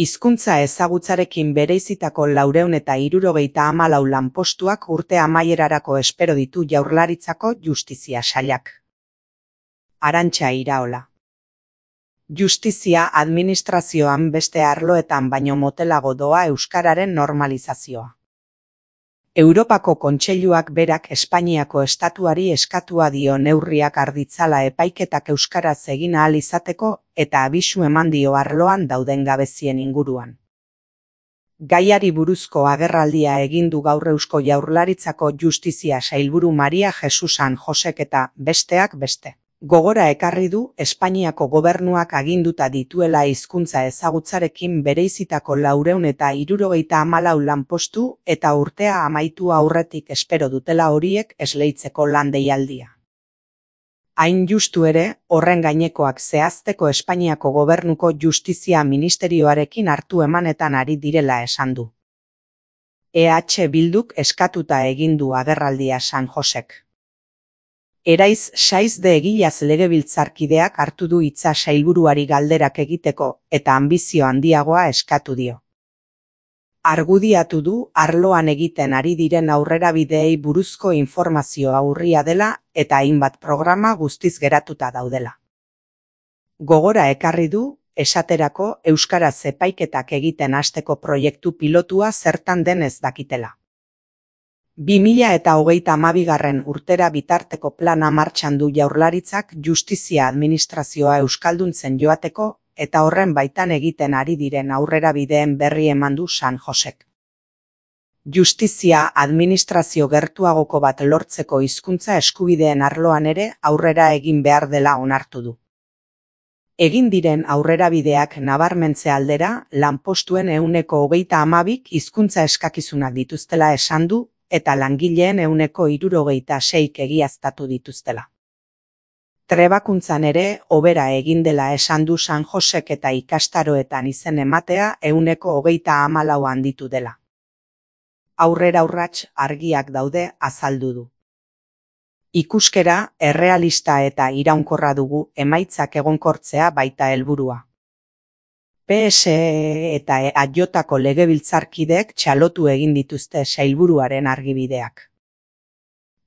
Hizkuntza ezagutzarekin bereizitako 474 lanpostuak urte amaierarako espero ditu Jaurlaritzako Justizia Sailak. Arantxa Iraola. Justizia administrazioan beste arloetan baino motelago doa euskararen normalizazioa. Europako Kontseiluak berak Espainiako estatuari eskatua dio neurriak har ditzala epaiketak euskaraz egin ahal izateko eta abisu eman dio arloan dauden gabezien inguruan. Gaiari buruzko agerraldia egin du gaur Eusko Jaurlaritzako Justizia Sailburu Maria Jesus San Josek eta, besteak beste, gogora ekarri du Espainiako gobernuak aginduta dituela hizkuntza ezagutzarekin bereizitako 474 lanpostu eta urtea amaitu aurretik espero dutela horiek esleitzeko lan deialdia. Hain justu ere, horren gainekoak zehazteko Espainiako gobernuko Justizia Ministerioarekin hartu emanetan ari direla esan du. EH Bilduk eskatuta egin du agerraldia San Josek. Eraiz Saiz de Egilaz legebiltzarkideak hartu du hitza sailburuari galderak egiteko eta anbizio handiagoa eskatu dio. Argudiatu du arloan egiten ari diren aurrerabideei buruzko informazioa urria dela eta hainbat programa guztiz geratuta daudela. Gogora ekarri du, esaterako euskaraz epaiketak egiten hasteko proiektu pilotua zertan den ez dakitela. 2022 urtera bitarteko plana martxan du Jaurlaritzak justizia administrazioa euskalduntzen joateko eta horren baitan egiten ari diren aurrerabideen berri eman du San Josek. Justizia administrazio gertuagoko bat lortzeko hizkuntza eskubideen arloan ere aurrera egin behar dela onartu du. Egin diren aurrerabideak nabarmentze aldera, lanpostuen 22% hizkuntza eskakizunak dituztela esan du eta langileen 76% egiaztatu dituztela. Trebakuntzan ere, hobera egin dela esan du San Josek eta ikastaroetan izen ematea 24% handitu dela. Aurrera urrats argiak daude azaldu du. Ikuskera, errealista eta iraunkorra dugu emaitzak egonkortzea baita helburua. PSE eta EAJko legebiltzarkideek txalotu egin dituzte sailburuaren argibideak.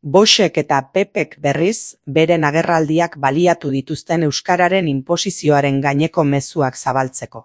Boxek eta Pepek berriz, beren agerraldiak baliatu dituzten euskararen inposizioaren gaineko mezuak zabaltzeko.